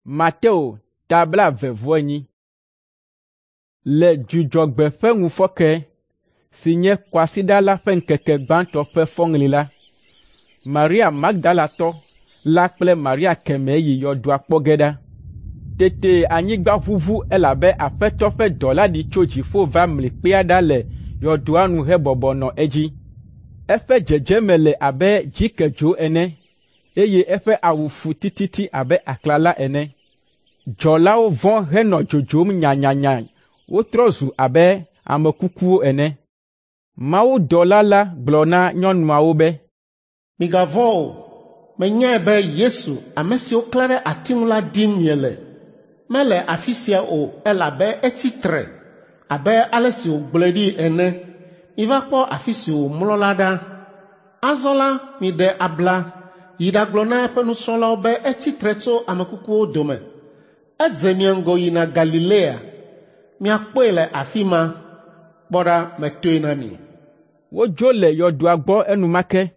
Mateo ta 24. Le Dzudzɔgbe ƒe ŋufɔke si nye kwasiɖa la ƒe ŋkeke gbãtɔ ƒe fɔŋli la, Maria Magdalatɔ la kple Maria kemɛ yi yɔdoa kpɔ ge ɖa. Tete anyigba ʋuʋu elabe Aƒetɔ ƒe dɔla ɖi tso dziƒo va mli kpea ɖa le yɔdoa nu hebɔbɔ nɔ edzi. Eƒe dzedzeme le abe dzikedzo ene, eye eƒe awu fu tititi abe aklala ene. Dzɔlawo vɔ̃ henɔ dzodzom nyanyanya wotrɔ zu abe ame kukuwo ene. Mawudɔla la gblɔ na nyɔnuawo be, “Migavɔ̃ o. Menyae be Yesu, ame si woklã ɖe ati ŋu la dim miele. Mele afi sia o elabe etsi tre abe ale si wògblɔe ɖi ene. Miva kpɔ afi si wòmlɔ la ɖa. Azɔ la, miɖe abla yi ɖagblɔ na eƒe nusrɔ̃lawo be etsi tre tso ame kukuwo dome. Edze mia ŋgɔ yina Galilea. Miakpɔe le afi ma. Kpɔ ɖa, metoe na mi.” Wodzo le yɔdoa gbɔ enumake.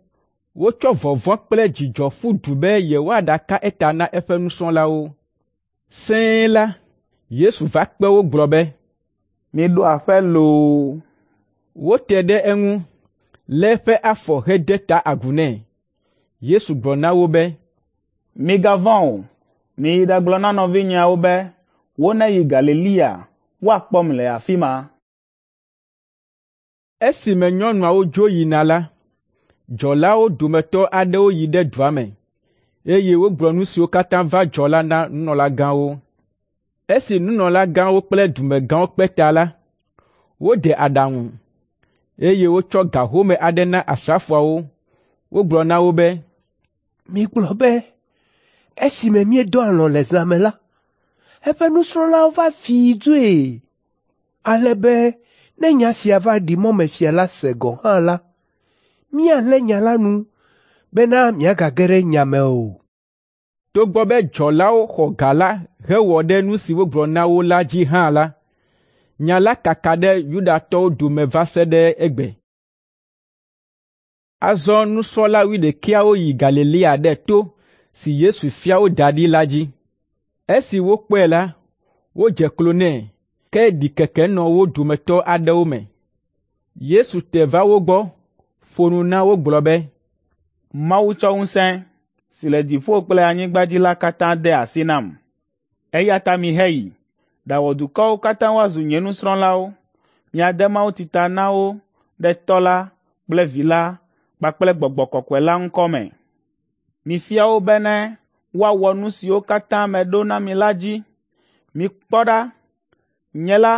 Wotsɔ vɔvɔ̃ kple dzidzɔ ƒu du be yewoaɖaka eta na eƒe nusrɔ̃lawo. Sẽe la, Yesu va kpe wo gblɔ be, “Miɖo aƒe loo!” Wote ɖe eŋu, lé eƒe afɔ hede ta agu nɛ. Yesu gblɔ na wo be, “Migavɔ̃ o. Miyi ɖagblɔ na nɔvinyeawo be woneyi Galilea woakpɔm le afi ma.” Esime nyɔnuawo dzo yina la, dzɔlawo dometɔ aɖewo yi ɖe dua me, eye wogblɔ nu siwo katã va dzɔ la na nunɔlagãwo. Esi nunɔlagãwo kple dumegãwo kpe ta la, wode aɖaŋu, eye wotsɔ ga home aɖe na asrafoawo. Wogblɔ na wo be, “Migblɔ be, esime míedɔ alɔ̃ le zã me la, eƒe nusrɔ̃lawo va fii dzoe, ale be ne nya sia va ɖi mɔmefia la se gɔ̃ hã la, míalé nya la nu bena miagage ɖe nya me o.” Togbɔ be dzɔlawo xɔ ga la hewɔ ɖe nu si wogblɔ na wo la dzi hã la, nya la kaka ɖe Yudatɔwo dome va se ɖe egbe. Azɔ nusrɔ̃la wuiɖekɛawo yi Galilea ɖe to si Yesu fia wo da ɖi la dzi. Esi wokpɔe la, wodze klo nɛ, ke ɖikeke nɔ wo dometɔ aɖewo me. Yesu te va wo gbɔ, ƒo nu na wo gblɔ be, “Mawu tsɔ ŋusẽ si le dziƒo kple anyigba dzi la katã de asi nam. Eya ta miheyi, ɖawɔ dukɔwo katã woazu nye nusrɔ̃lawo. Miade mawutsi ta na wo ɖe Tɔ́ la kple Vi la kpakple Gbɔgbɔ Kɔkɔe la ŋkɔ me. Mifia wo bene woawɔ nu siwo katã meɖo na mi la dzi. Mikpɔ ɖa, nye la,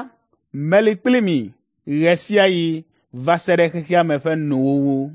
meli kpli mi ɣe sia ɣi va se ɖe xexea me ƒe nuwuwu.”